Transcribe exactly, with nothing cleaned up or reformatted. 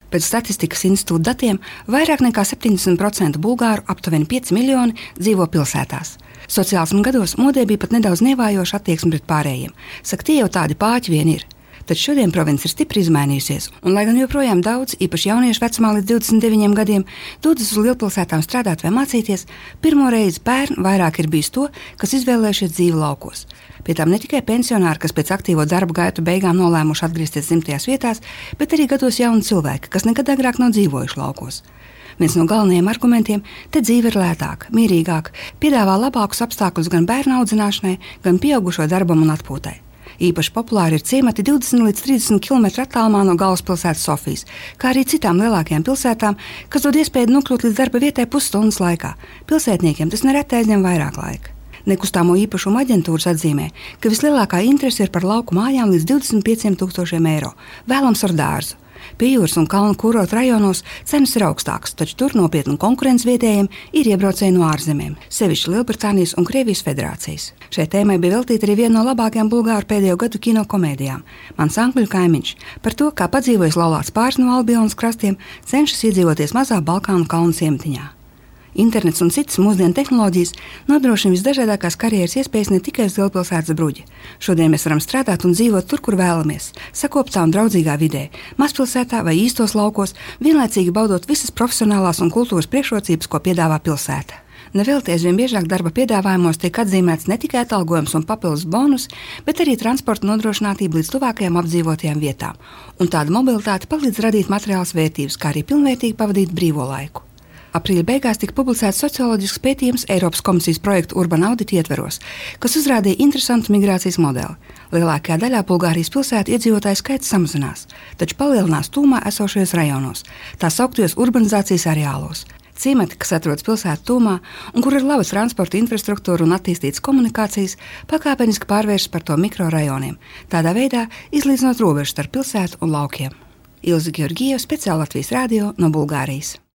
Pēc Statistikas institūta datiem vairāk nekā septiņdesmit procenti bulgāru, aptuveni pieci miljoni, dzīvo pilsētās. Sociālisma gados modē bija pat nedaudz nievājoša attieksme pret pārējiem. Saka, tie jau tādi pāķi vien ir. Taču šodien province ir stipri izmainījusies, un lai gan joprojām daudz, īpaši jauniešu vecumā līdz divdesmit deviņiem gadiem, dodas uz lielpilsētām strādāt vai mācīties, pirmo reizi pērn vairāk ir bijis to, kas izvēlējušies dzīvi laukos. Pie tām ne tikai pensionāri, kas pēc aktīvo darba gaitu beigām nolēmuši atgriezties dzimtajās vietās, bet arī gados jauni cilvēki, kas nekad agrāk nav dzīvojuši laukos. Viens no galvenajiem argumentiem – te dzīve ir lētāka, mierīgāka, piedāvā labākus apstākļus gan bērnu audzināšanai, gan pieaugušo darbam un atpūtai. Īpaši populāri ir ciemati divdesmit līdz trīsdesmit kilometru attālumā no galvaspilsētas Sofijas, kā arī citām lielākajām pilsētām, kas dod iespēju nokļūt līdz darba vietai pusstundas laikā. Pilsētniekiem tas nereti aizņem vairāk laika. Nekustamo īpašumu aģentūras atzīmē, ka vislielākā interese ir par lauku mājām līdz divdesmit pieciem tūkstošiem eiro, vēlams ar dārzu. Pie jūras un kalnu kurortu rajonos cenas ir augstākas, taču tur nopietna konkurence vietējiem ir iebraucēji no ārzemēm, sevišķi Lielbritānijas un Krievijas federācijas. Šai tēmai bija veltīta arī viena no labākajām bulgāru pēdējo gadu kino komēdijām – Mans angļu kaimiņš, par to, kā padzīvojis laulāts pāris no Albionas krastiem, cenšas iedzīvoties mazā Balkānu kalnu ciematiņā. Internets un citas mūsdienu tehnoloģijas nodrošina visdažādākās karjeras iespējas ne tikai uz lielpilsētas bruģa. Šodien mēs varam strādāt un dzīvot tur, kur vēlamies, sakoptā un draudzīgā vidē, mazpilsētā vai īstos laukos, vienlaicīgi baudot visas profesionālās un kultūras priekšrocības, ko piedāvā pilsēta. Nevelti aizvien biežāk darba piedāvājumos tiek atzīmēts ne tikai atalgojums un papildus bonus, bet arī transporta nodrošinātība līdz tuvākajām apdzīvotajām vietām. Un tāda mobilitāte palīdz radīt materiālas vērtības, kā arī pilnvērtīgi pavadīt brīvo laiku. Aprīļa beigās tika publicēts socioloģisks pētījums Eiropas komisijas projektu Urban Audit ietveros, kas uzrādīja interesantu migrācijas modeli. Lielākajā daļā Bulgārijas pilsētu iedzīvotāju skaits samazinās, taču palielinās tūmā esošajos rajonos, tā sauktajos urbanizācijas areālos. Ciemati, kas atrodas pilsētu tūmā un kur ir laba transporta infrastruktūra un attīstītas komunikācijas, pakāpeniski pārvēršas par to mikrorajoniem, tādā veidā izlīdzinot robežu starp pilsētu un laukiem. Ilze Georgieva, speciāli Latvijas radio no Bulgārijas.